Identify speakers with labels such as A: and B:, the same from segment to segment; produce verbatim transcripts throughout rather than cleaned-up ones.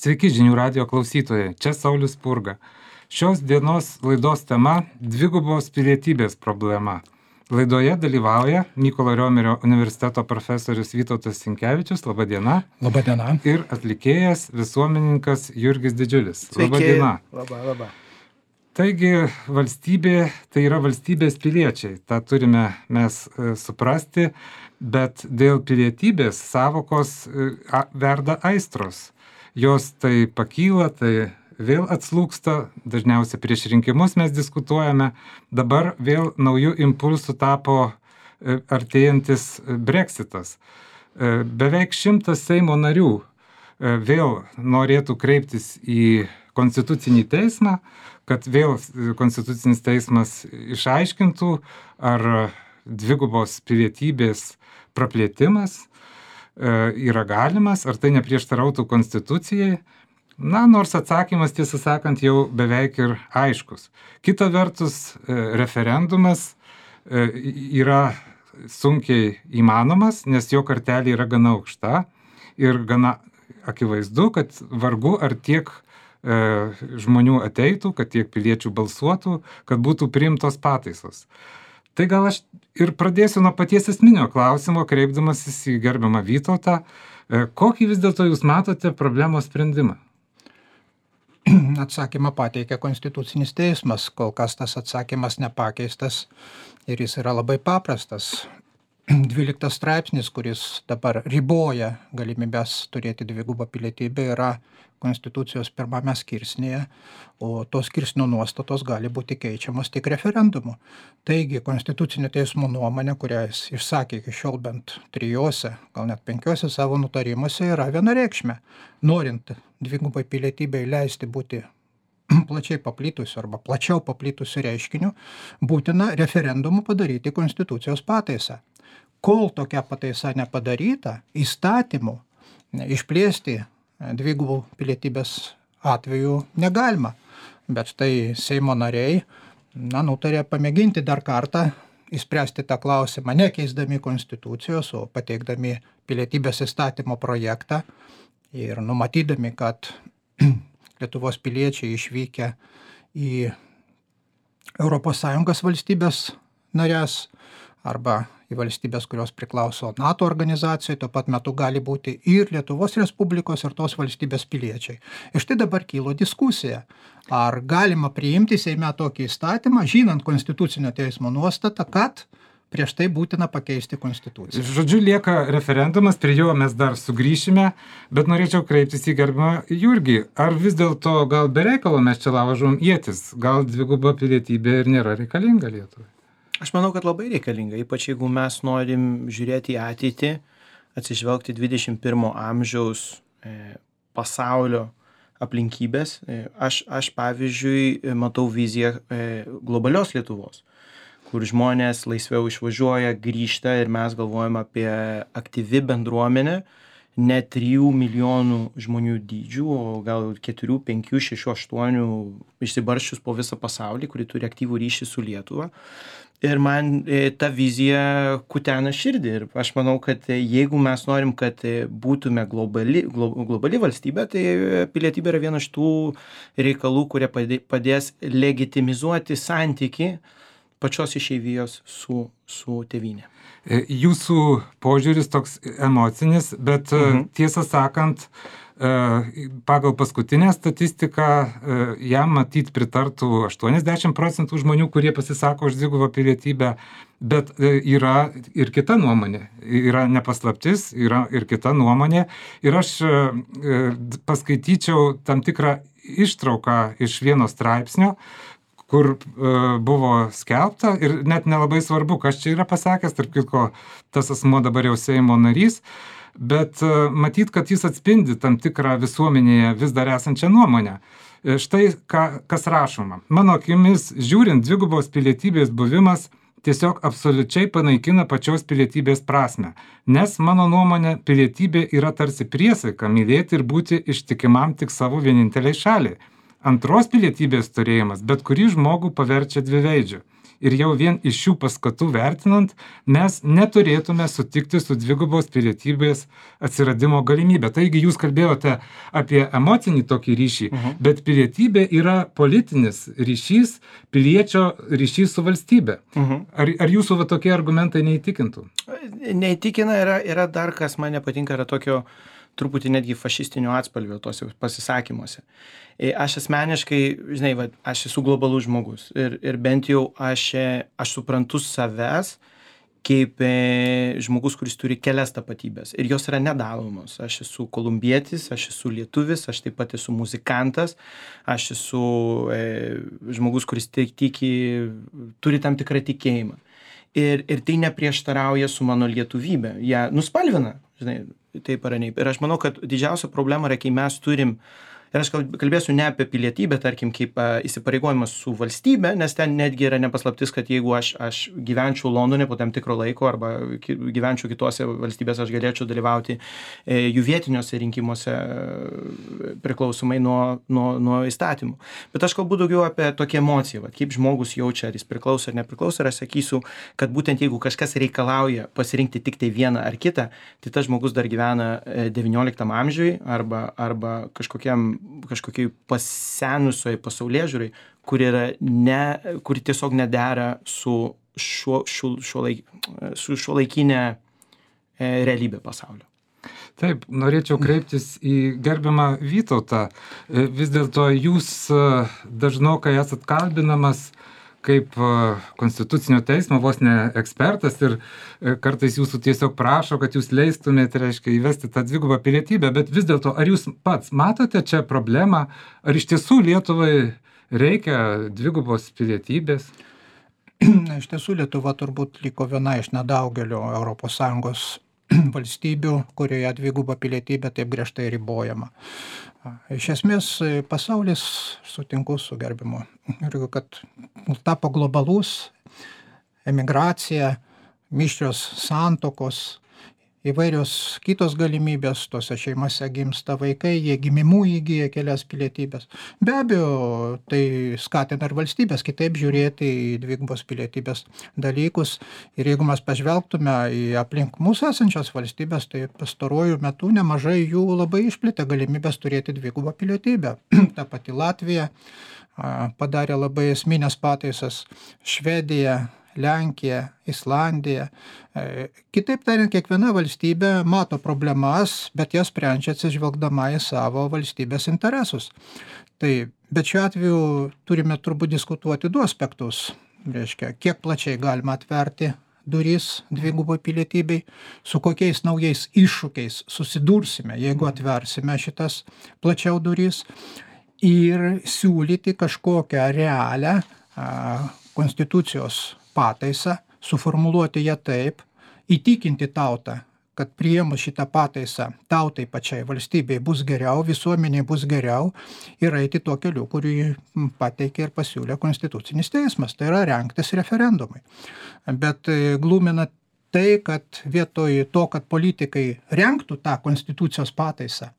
A: Sveiki žinių radijo klausytojai, čia Saulius Spurga. Šios dienos laidos tema – dvigubos pilietybės problema. Laidoje dalyvauja Mykolo Riomerio universiteto profesorius Vytautas Sinkevičius, laba diena.
B: Labą dieną.
A: Ir atlikėjas, visuomenininkas Jurgis Didžiulis.
C: Sveiki.
A: Labą dieną.
C: Labą, labą.
A: Taigi valstybė tai yra valstybės piliečiai, tą turime mes e, suprasti, bet dėl pilietybės savokos e, a, verda aistros. Jos tai pakyla, tai vėl atslūgsta, dažniausiai prieš rinkimus mes diskutuojame, dabar vėl naujų impulsų tapo e, artėjantis Brexitas. E, beveik šimtas Seimo narių e, vėl norėtų kreiptis į Konstitucinį teismą, kad vėl Konstitucinis teismas išaiškintų, ar dvigubos pilietybės praplėtimas yra galimas, ar tai neprieštarautų Konstitucijai. Na, nors atsakymas, tiesą sakant, jau beveik ir aiškus. Kita vertus, referendumas yra sunkiai įmanomas, nes jo kartelė yra gana aukšta ir gana akivaizdu, kad vargu ar tiek žmonių ateitų, kad tiek piliečių balsuotų, kad būtų priimtos pataisos. Tai gal aš ir pradėsiu nuo paties esminio klausimo, kreipdamasis į gerbiamą Vytautą. Kokį vis dėlto jūs matote problemos sprendimą?
B: Atsakymą pateikia Konstitucinis teismas, kol kas tas atsakymas nepakeistas ir jis yra labai paprastas. Dvyliktas straipsnis, kuris dabar riboja galimybės turėti dvigubą pilietybę, yra Konstitucijos pirmame skirsnyje, o tos skirsnio nuostatos gali būti keičiamos tik referendumu. Taigi, Konstitucinio teismo nuomonė, kurią jis išsakė iki šiol bent trijose, gal net penkiose savo nutarimuose, yra vienareikšmė. Norint dvigubai pilietybei leisti būti plačiai paplitusiu arba plačiau paplitusiu reiškiniu, būtina referendumu padaryti Konstitucijos pataisą. Kol tokia pataisa nepadaryta, įstatymu išplėsti dvigubų pilietybės atveju negalima. Bet štai Seimo nariai na, nutarė pamėginti dar kartą išspręsti tą klausimą, nekeisdami Konstitucijos, o pateikdami pilietybės įstatymo projektą ir numatydami, kad Lietuvos piliečiai išvykę į Europos Sąjungos valstybės narės arba į valstybės, kurios priklauso NATO organizacijai, tuo pat metu gali būti ir Lietuvos Respublikos ir tos valstybės piliečiai. Ir štai dabar kylo diskusija, ar galima priimti Seime tokį įstatymą, žinant Konstitucinio teismo nuostatą, kad prieš tai būtina pakeisti Konstituciją.
A: Žodžiu, lieka referendumas, prie jo mes dar sugrįšime, bet norėčiau kreiptis į gerbiamą Jurgį. Ar vis dėlto gal be reikalo mes čia laužom ietis, gal dviguba pilietybė ir nėra reikalinga Lietuvai?
C: Aš manau, kad labai reikalinga, ypač jeigu mes norim žiūrėti į ateitį, atsižvelgti dvidešimt pirmo amžiaus e, pasaulio aplinkybės. E, aš, aš, pavyzdžiui, matau viziją e, globalios Lietuvos, kur žmonės laisviau išvažiuoja, grįžta ir mes galvojame apie aktyvi bendruomenę, ne trijų milijonų žmonių dydžių, o gal keturių, penkių, šešių, aštuonių išsibarsčius po visą pasaulį, kuri turi aktyvų ryšį su Lietuva. Ir man e, ta vizija kutena širdį. Ir aš manau, kad e, jeigu mes norim, kad e, būtume globali, glo, globali valstybė, tai pilietybė yra viena iš tų reikalų, kurie padės legitimizuoti santyki pačios išeivijos su, su tėvynė.
A: Jūsų požiūris toks emocinis, bet mhm. tiesą sakant, pagal paskutinę statistiką jam matyt pritartų aštuoniasdešimt procentų žmonių, kurie pasisako už dvigubą pilietybę, bet yra ir kita nuomonė, yra nepaslaptis, yra ir kita nuomonė. Ir aš paskaityčiau tam tikrą ištrauką iš vieno straipsnio, kur uh, buvo skelbta ir net nelabai svarbu, kas čia yra pasakęs, tarp kitko tas asmuo dabar jau Seimo narys, bet uh, matyt, kad jis atspindi tam tikrą visuomenėje vis dar esančią nuomonę. E, štai ką, kas rašoma. Mano akimis, žiūrint, dvigubos pilietybės buvimas tiesiog absoliučiai panaikina pačios pilietybės prasmę, nes mano nuomonė pilietybė yra tarsi priesaika mylėti ir būti ištikimam tik savo vieninteliai šaliai. Antros pilietybės turėjimas bet kurį žmogų paverčia dviveidžiu. Ir jau vien iš šių paskatų vertinant, mes neturėtume sutikti su dvigubos pilietybės atsiradimo galimybė. Taigi jūs kalbėjote apie emocinį tokį ryšį, uh-huh. bet pilietybė yra politinis ryšys, piliečio ryšys su valstybe. Uh-huh. Ar, ar jūsų va, tokie argumentai neįtikintų?
C: Neįtikina, yra, yra dar kas man nepatinka, yra tokio truputį netgi fašistinio atspalvio tose pasisakymuose. Aš asmeniškai, žinai, va, aš esu globalus žmogus ir, ir bent jau aš, aš suprantu savęs kaip e, žmogus, kuris turi kelias tapatybės ir jos yra nedalomos. Aš esu kolumbietis, aš esu lietuvis, aš taip pat esu muzikantas, aš esu e, žmogus, kuris tik tiki, turi tam tikrą tikėjimą. Ir, ir tai neprieštarauja su mano lietuvybė. Jie nuspalvina, žinai, taip ar ne. Ir aš manau, kad didžiausia problema yra, kai mes turim, ir aš kalbėsiu ne apie pilietybę, tarkim, kaip a, įsipareigojimas su valstybe, nes ten netgi yra nepaslaptis, kad jeigu aš, aš gyvenčiau Londone po tam tikro laiko arba gyvenčiau kitose valstybėse, aš galėčiau dalyvauti e, jų vietiniuose rinkimuose e, priklausomai nuo, nuo, nuo įstatymų. Bet aš kalbu daugiau apie tokią emociją, va, kaip žmogus jaučia, ar jis priklauso ar nepriklauso, ir aš sakysiu, kad būtent jeigu kažkas reikalauja pasirinkti tik tai vieną ar kitą, tai tas žmogus dar gyvena devynioliktam amžiui arba, arba kažkokiam kažkokiai pasenusioj pasaulėžiūrai, kuri yra ne, kuri tiesiog nedera su šiuo, šiuo, šiuo laik, su šiuolaikinė e, realybė pasaulio.
A: Taip, norėčiau kreiptis į gerbiamą Vytautą. Vis dėlto jūs dažnokai esat kalbinamas kaip konstitucinio teismo vos ne ekspertas ir kartais jūsų tiesiog prašo, kad jūs leistumėte, reiškia, įvesti tą dvigubą pilietybę, bet vis dėlto, ar jūs pats matote čia problemą, ar iš tiesų Lietuvai reikia dvigubos pilietybės?
B: Iš tiesų Lietuva turbūt liko viena iš nedaugelio Europos Sąjungos valstybių, kurioje dviguba pilietybė taip griežtai ribojama. Iš esmės pasaulis, sutinku su gerbimu, kad tapo globalus, emigracija, mišrios santuokos, įvairios kitos galimybės, tose šeimose gimsta vaikai, jie gimimų įgyja kelias pilietybės. Be abejo, tai skatina ir valstybės kitaip žiūrėti į dvigubos pilietybės dalykus. Ir jeigu mes pažvelgtume į aplink mūsų esančias valstybės, tai pastaruoju metu nemažai jų labai išplėtė galimybės turėti dvigubą pilietybę. Ta pati Latvija padarė labai esminės pataisas, Švedija, Lenkija, Islandija. Kitaip tariant, kiekviena valstybė mato problemas, bet jas sprendžia atsižvelgdama į savo valstybės interesus. Tai, bet šiuo atveju turime turbūt diskutuoti du aspektus. Reiškia, kiek plačiai galima atverti duris dvigubai pilietybei, su kokiais naujais iššūkiais susidursime, jeigu atversime šitas plačiau duris, ir siūlyti kažkokią realią a, konstitucijos pataisą, suformuluoti ją taip, įtikinti tautą, kad priėmus šitą pataisą tautai pačiai valstybei bus geriau, visuomeniai bus geriau, ir eiti tuo keliu, kurį pateikė ir pasiūlė Konstitucinis teismas, tai yra rengtis referendumai. Bet glumina tai, kad vietoj to, kad politikai rengtų tą Konstitucijos pataisą,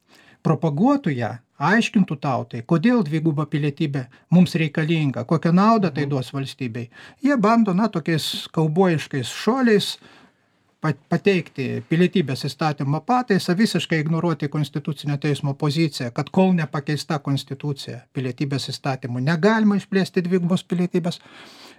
B: propaguotų ją, aiškintų tautai, kodėl dviguba pilietybė mums reikalinga, kokią naudą tai duos valstybei. Jie bando, na, tokiais kaubojiškais šuoliais pateikti pilietybės įstatymo pataisą, visiškai ignoruoti Konstitucinio teismo poziciją, kad kol nepakeista konstitucija pilietybės įstatymų negalima išplėsti dvigubos pilietybės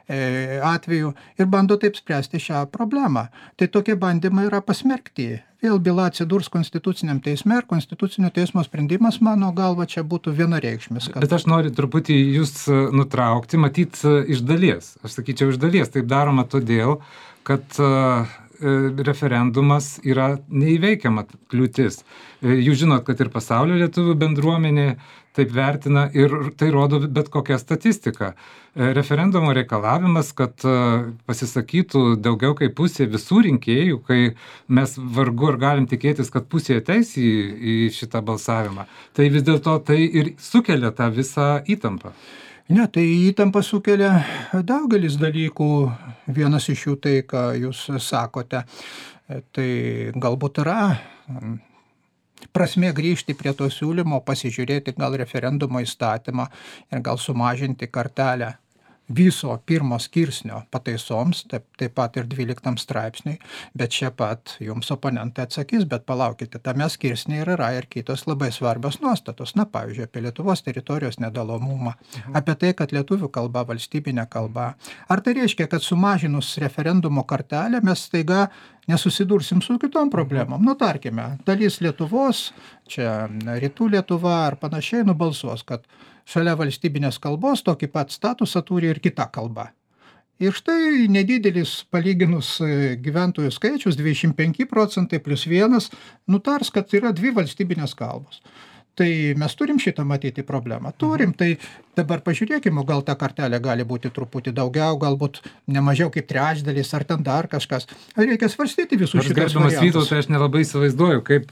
B: atveju, ir bando taip spręsti šią problemą. Tai tokie bandymai yra pasmerkti. Vėl byla atsidurs Konstituciniam teisme, ir Konstitucinio teismo sprendimas, mano galva, čia būtų vienareikšmis. Kad...
A: Bet aš noriu truputį jūs nutraukti, matyt, iš dalies. Aš sakyčiau, iš dalies taip daroma todėl, kad referendumas yra neįveikiama kliūtis. Jūs žinot, kad ir pasaulio lietuvių bendruomenė taip vertina, ir tai rodo bet kokia statistika. Referendumo reikalavimas, kad pasisakytų daugiau kaip pusė visų rinkėjų, kai mes vargu ar galim tikėtis, kad pusė ateis į, į šitą balsavimą. Tai vis dėlto tai ir sukelia tą visą įtampą.
B: Ne, tai įtampa sukelia daugelis dalykų. Vienas iš jų tai, ką jūs sakote, tai galbūt yra prasmė grįžti prie to siūlymo, pasižiūrėti gal referendumo įstatymą ir gal sumažinti kartelę viso pirmo skirsnio pataisoms, taip, taip pat ir dvyliktam straipsniui, bet čia pat jums oponentai atsakys, bet palaukite, tame skirsnė yra ir kitos labai svarbios nuostatos, na, pavyzdžiui, apie Lietuvos teritorijos nedalomumą, mhm. apie tai, kad lietuvių kalba valstybinė kalba. Ar tai reiškia, kad sumažinus referendumo kartelę mes staiga nesusidursim su kitom problemom? Nu, tarkime, dalis Lietuvos, čia rytų Lietuva ar panašiai nubalsuos, kad šalia valstybinės kalbos tokį pat statusą turi ir kita kalba. Ir štai nedidelis palyginus gyventojų skaičius, dvidešimt penki procentai plus vienas, nutars, kad yra dvi valstybinės kalbos. Tai mes turim šitą matyti problemą. Turim, tai dabar pažiūrėkime, gal ta kartelė gali būti truputį daugiau, galbūt nemažiau kaip trečdalis, ar ten dar kažkas. Reikia svarstyti visus šitos variantus.
A: Gerbiamas Vytautai, aš nelabai įsivaizduoju, kaip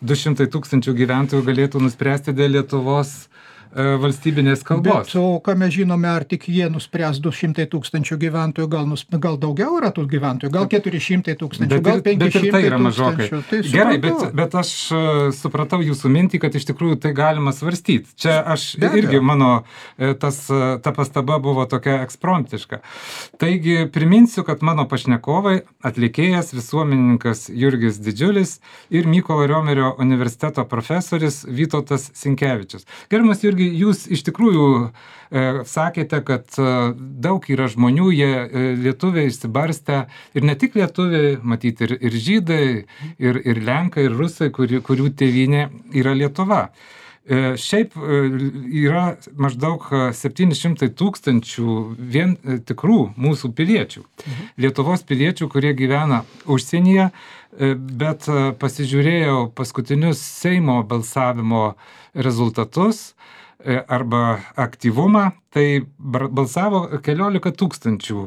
A: du šimtai tūkstančių gyventojų galėtų nuspręsti dėl Lietuvos valstybinės kalbos.
B: Bet o ką mes žinome, ar tik jie nuspręs du šimtai tūkstančių gyventojų, gal, nus, gal daugiau yra tų gyventojų, gal keturi šimtai tūkstančių, gal penki šimtai tūkstančių. Bet ir tai yra mažokai. Tai
A: Gerai, bet, bet aš supratau jūsų mintį, kad iš tikrųjų tai galima svarstyti. Čia aš irgi, mano tas, ta pastaba buvo tokia ekspromptiška. Taigi priminsiu, kad mano pašnekovai atlikėjas, visuomenininkas Jurgis Didžiulis ir Mykolo Riomerio universiteto profesorius Vytautas Sinkevičius. Gerbiamas Jurgi, jūs iš tikrųjų e, sakėte, kad e, daug yra žmonių, jie e, lietuviai išsibarstę ir ne tik lietuviai, matyti ir, ir žydai, ir, ir lenkai, ir rusai, kuri, kurių tėvynė yra Lietuva. E, šiaip e, yra maždaug septyni šimtai tūkstančių vien e, tikrų mūsų piliečių. Mhm. Lietuvos piliečių, kurie gyvena užsienyje, e, bet e, pasižiūrėjau paskutinius Seimo balsavimo rezultatus arba aktyvumą, tai balsavo keliolika tūkstančių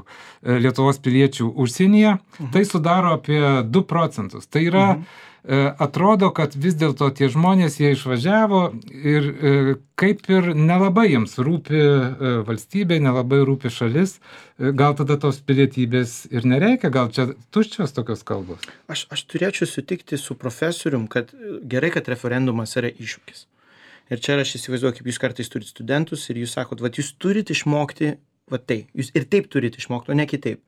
A: Lietuvos piliečių užsienyje, mhm. tai sudaro apie du procentus. Tai yra, mhm. atrodo, kad vis dėlto tie žmonės, jie išvažiavo ir kaip ir nelabai jiems rūpi valstybė, nelabai rūpi šalis, gal tada tos pilietybės ir nereikia, gal čia tuščios tokios kalbos.
C: Aš, aš turėčiau sutikti su profesorium, kad gerai, kad referendumas yra iššūkis. Ir čia aš įsivaizduoju, kaip jūs kartais turite studentus ir jūs sakot, va, jūs turite išmokti, va tai, jūs ir taip turite išmokti, o ne kitaip.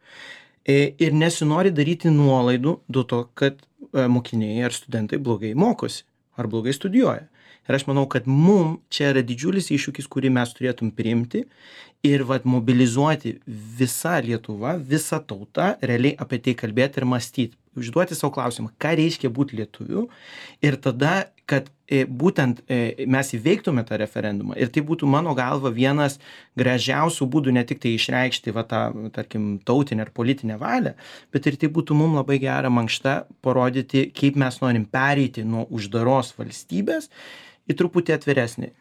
C: Ir nesinori daryti nuolaidų dėl to, kad mokiniai ar studentai blogai mokosi ar blogai studijuoja. Ir aš manau, kad mum čia yra didžiulis iššūkis, kurį mes turėtum priimti ir vat, mobilizuoti visą Lietuvą, visą tautą, realiai apie tai kalbėti ir mąstyti. Užduoti savo klausimą, ką reiškia būti lietuviu ir tada, kad e, būtent e, mes įveiktume tą referendumą. Ir tai būtų mano galva vienas gražiausių būdų ne tik tai išreikšti va, tą, tarkim, tautinę ar politinę valią, bet ir tai būtų mums labai gera mankšta parodyti, kaip mes norim pereiti nuo uždaros valstybės į truputį atviresnį.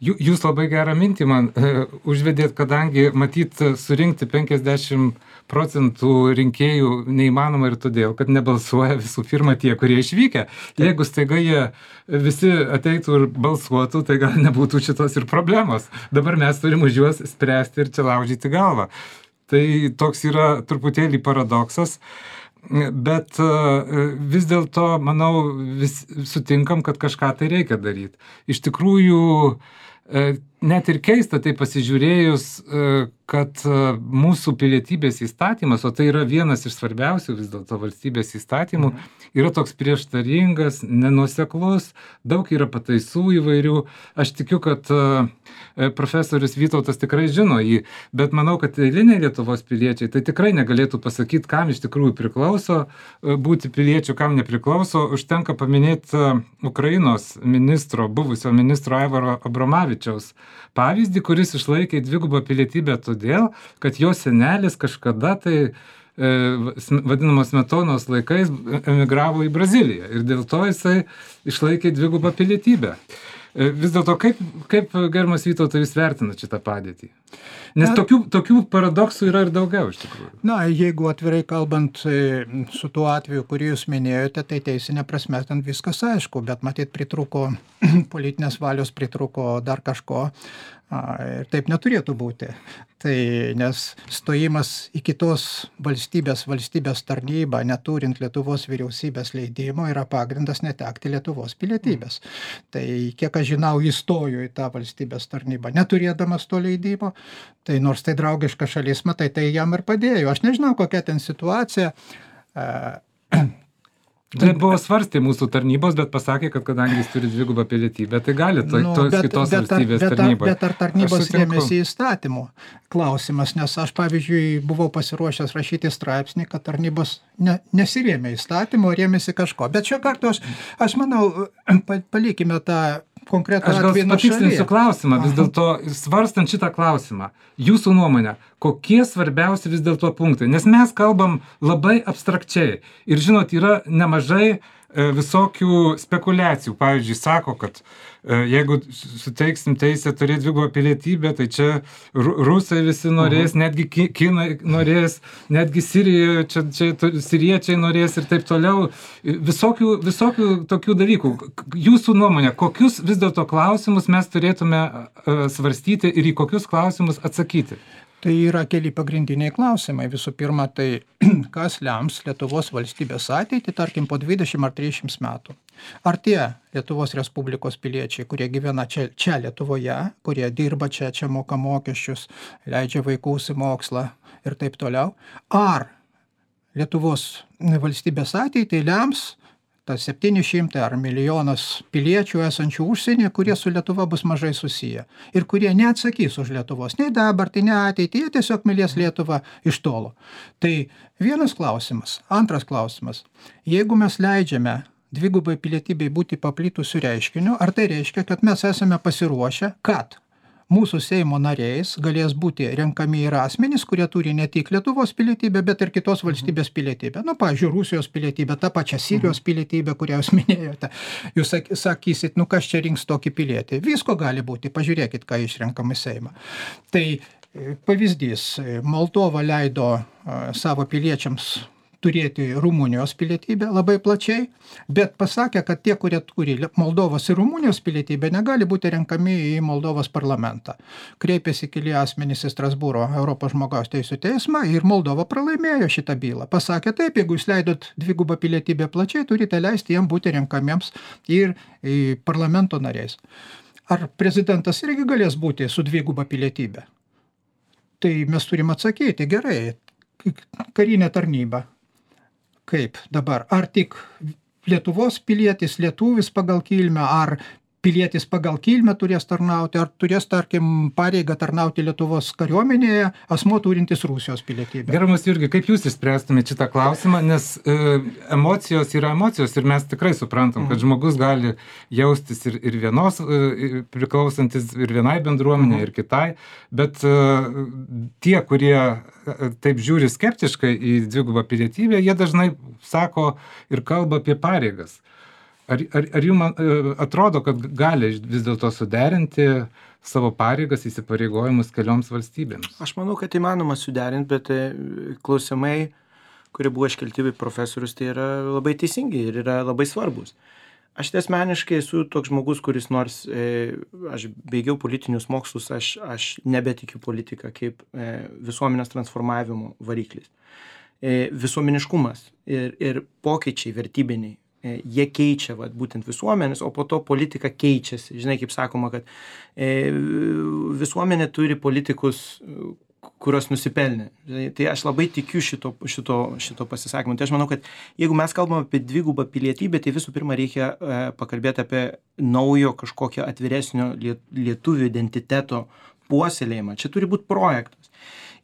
A: Jūs labai gerą mintį man uh, užvedėt, kadangi matyt surinkti penkiasdešimt procentų rinkėjų neįmanoma ir todėl, kad nebalsuoja visų pirma tie, kurie išvykę. Jeigu staiga jie visi ateitų ir balsuotų, tai gal nebūtų šitos ir problemos. Dabar mes turim už juos spręsti ir čia laužyti galvą. Tai toks yra truputėlį paradoksas. Bet vis dėlto, manau, vis sutinkam, kad kažką tai reikia daryti. Iš tikrųjų, net ir keista tai pasižiūrėjus, kad mūsų pilietybės įstatymas, o tai yra vienas iš svarbiausių vis dėlto valstybės įstatymų, yra toks prieštaringas, nenuoseklus, daug yra pataisų įvairių. Aš tikiu, kad profesorius Vytautas tikrai žino jį, bet manau, kad eiliniai Lietuvos piliečiai tai tikrai negalėtų pasakyti, kam iš tikrųjų priklauso būti piliečiu, kam nepriklauso. Užtenka paminėti Ukrainos ministro, buvusio ministro Aivaro Abromavičiaus pavyzdį, kuris išlaikė dvigubą pilietybę todėl, kad jo senelis kažkada tai e, vadinamos Smetonos laikais emigravo į Braziliją ir dėl to jisai išlaikė dvigubą pilietybę. E, vis dėlto, kaip, kaip gerbiamas Vytautai, jūs vertinate šitą padėtį? Nes tokių, tokių paradoksų yra ir daugiau iš tikrųjų.
B: Na, jeigu atvirai kalbant su tuo atveju, kurį jūs minėjote, tai teisinė prasme ten viskas aišku, bet matyt pritrūko politinės valios, pritrūko dar kažko. Ir taip neturėtų būti. Tai nes stojimas į kitos valstybės, valstybės tarnybą, neturint Lietuvos vyriausybės leidimo, yra pagrindas netekti Lietuvos pilietybės. Tai kiek aš žinau, įstojo į tą valstybės tarnybą, neturėdamas to leidimo, tai nors tai draugiška šalis, matai, tai jam ir padėjo. Aš nežinau, kokia ten situacija.
A: Tai buvo svarstė mūsų tarnybos, bet pasakė, kad kadangi jis turi dvigubą pilietybę, tai gali to, nu, tos bet, kitos bet, valstybės
B: bet,
A: tarnyboje.
B: Bet ar tarnybos rėmėsi įstatymų? Klausimas, nes aš, pavyzdžiui, buvau pasiruošęs rašyti straipsnį, kad tarnybos ne, nesirėmė įstatymų, rėmėsi kažko. Bet šio karto aš, aš manau, palikime tą konkretų
A: Aš gal patikslinsiu klausimą, vis dėlto svarstant šitą klausimą, jūsų nuomonė, kokie svarbiausi vis dėlto punktai, nes mes kalbam labai abstrakčiai ir žinot, yra nemažai visokių spekulacijų. Pavyzdžiui, sako, kad jeigu suteiksim teisę turėti dvigubą pilietybę, tai čia rusai visi norės, uh-huh. netgi kinai norės, netgi Sirijoje, čia, čia siriečiai norės ir taip toliau. Visokių, visokių tokių dalykų. Jūsų nuomonė, kokius vis dėlto klausimus mes turėtume svarstyti ir į kokius klausimus atsakyti?
B: Tai yra keli pagrindiniai klausimai. Visų pirma, tai kas lems Lietuvos valstybės ateitį, tarkim, po dvidešimt ar trisdešimt metų. Ar tie Lietuvos Respublikos piliečiai, kurie gyvena čia, čia Lietuvoje, kurie dirba čia, čia moka mokesčius, leidžia vaikus į mokslą ir taip toliau, ar Lietuvos valstybės ateitį lems tas septyni šimtai ar milijonas piliečių esančių užsienyje, kurie su Lietuva bus mažai susiję ir kurie neatsakys už Lietuvos, nei dabartį, nei ateitį, jie tiesiog mylės Lietuvą iš tolo. Tai vienas klausimas. Antras klausimas. Jeigu mes leidžiame dvigubai pilietybei būti paplitusiu reiškiniu, ar tai reiškia, kad mes esame pasiruošę, kad mūsų Seimo nariais galės būti renkami ir asmenys, kurie turi ne tik Lietuvos pilietybę, bet ir kitos valstybės pilietybę. Nu, pavyzdžiui, Rusijos pilietybę, tą pačią Sirijos pilietybę, kurią jūs minėjote. Jūs sakysit, nu kas čia rinks tokį pilietį. Visko gali būti, pažiūrėkit, ką išrenkam į Seimą. Tai pavyzdys, Moldova leido savo piliečiams turėti Rumunijos pilietybę labai plačiai, bet pasakė, kad tie, kurie turi Moldovos ir Rumunijos pilietybę, negali būti renkami į Moldovos parlamentą. Kreipėsi keli asmenys į Strasbūro Europos žmogaus teisių teismą ir Moldova pralaimėjo šitą bylą. Pasakė taip, jeigu jūs leidot dvigubą pilietybę plačiai, turite leisti jiems būti renkamiems ir į parlamento nariais. Ar prezidentas irgi galės būti su dviguba pilietybė? Tai mes turim atsakyti, gerai, karinė tarnyba. Kaip dabar? Ar tik Lietuvos pilietis, lietuvis pagal kilmę, ar pilietis pagal kilmę turės tarnauti, ar turės, tarkim, pareigą tarnauti Lietuvos kariuomenėje asmuo turintis Rusijos pilietybę?
A: Gerbiamas Jurgi, kaip jūs išspręstumėte šitą klausimą, nes e, emocijos yra emocijos ir mes tikrai suprantam, kad žmogus gali jaustis ir, ir vienos, e, priklausantis ir vienai bendruomenė, ir kitai, bet e, tie, kurie taip žiūri skeptiškai į dvigubą pilietybę, jie dažnai sako ir kalba apie pareigas. Ar, ar, ar jums atrodo, kad gali vis dėlto suderinti savo pareigas, įsipareigojimus kelioms valstybėms?
C: Aš manau, kad įmanoma suderinti, bet klausimai, kurie buvo iškelti profesorius, tai yra labai teisingi ir yra labai svarbus. Aš tai asmeniškai esu toks žmogus, kuris nors e, aš baigiau politinius mokslus, aš, aš nebetikiu politiką kaip e, visuomenės transformavimo variklis. E, visuomeniškumas ir, ir pokyčiai vertybiniai, e, jie keičia vat, būtent visuomenės, o po to politika keičiasi. Žinai, kaip sakoma, kad e, visuomenė turi politikus, kurios nusipelnė. Tai aš labai tikiu šito, šito, šito pasisakymu. Tai aš manau, kad jeigu mes kalbame apie dvigubą pilietybę, tai visų pirma reikia e, pakalbėti apie naujo kažkokio atviresnio lietuvių identiteto puoselėjimą. Čia turi būti projektas.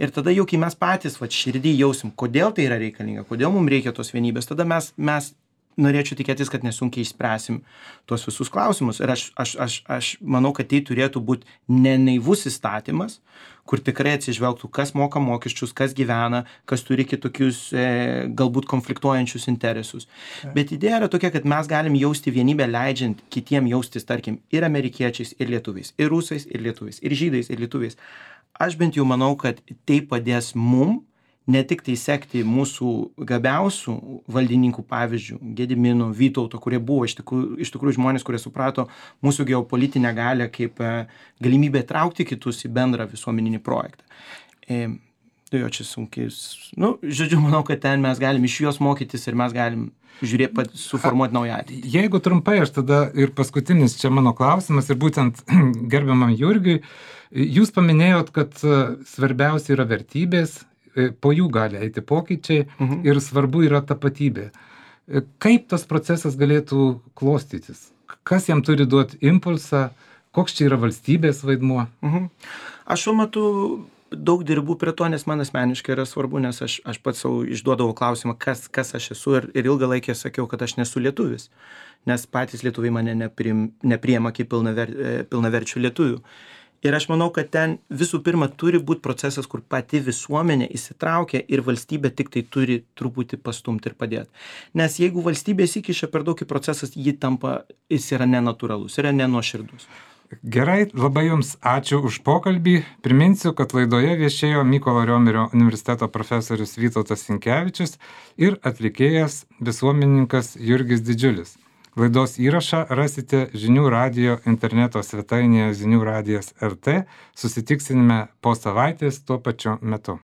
C: Ir tada jau, kai mes patys vat, širdį jausim, kodėl tai yra reikalinga, kodėl mums reikia tos vienybės, tada mes, mes norėčiau tikėtis, kad nesunkiai išspręsim tuos visus klausimus. Ir aš, aš, aš, aš manau, kad tai turėtų būti ne naivus įstatymas, kur tikrai atsižvelgtų, kas moka mokesčius, kas gyvena, kas turi kitokius e, galbūt konfliktuojančius interesus. Ja. Bet idėja yra tokia, kad mes galim jausti vienybę, leidžiant kitiem jaustis, tarkim, ir amerikiečiais, ir lietuviais, ir rusais, ir lietuviais, ir žydais, ir lietuviais. aš bent jau manau, kad tai padės mum ne tik tai sekti mūsų gabiausių valdininkų pavyzdžių, Gedimino, Vytauto, kurie buvo iš tikrųjų, iš tikrųjų žmonės, kurie suprato mūsų geopolitinę galę kaip galimybę traukti kitus į bendrą visuomeninį projektą. E, tai jo čia sunkiai, nu, žodžiu, manau, kad ten mes galim iš juos mokytis ir mes galim žiūrėti, suformuoti naują ateitį.
A: Jeigu trumpai, aš tada ir paskutinis čia mano klausimas ir būtent gerbiamam Jurgiui, jūs paminėjot, kad svarbiausia yra vertybės, po jų gali eiti pokyčiai mhm. ir svarbu yra tapatybė. Kaip tas procesas galėtų klostytis? Kas jam turi duoti impulsą? Koks čia yra valstybės vaidmuo?
C: Mhm. Aš šiuo metu daug dirbu prie to, nes man asmeniškai yra svarbu, nes aš, aš pats savo išduodavau klausimą, kas, kas aš esu ir, ir ilgą laikę sakiau, kad aš nesu lietuvis, nes patys lietuviai mane neprim, nepriema kaip pilnaver, pilnaverčių lietuvių. Ir aš manau, kad ten visų pirma turi būti procesas, kur pati visuomenė įsitraukia ir valstybė tik tai turi truputį pastumti ir padėti. Nes jeigu valstybė įsikiša per daug į procesas, jį tampa, jis yra nenatūralus, yra nenuoširdus.
A: Gerai, labai Jums ačiū už pokalbį. Priminsiu, kad laidoje viešėjo Mykolo Riomerio universiteto profesorius Vytautas Sinkevičius ir atlikėjas visuomenininkas Jurgis Didžiulis. Laidos įrašą rasite Žinių radijo interneto svetainėje Žinių radijas lt. Susitiksime po savaitės tuo pačiu metu.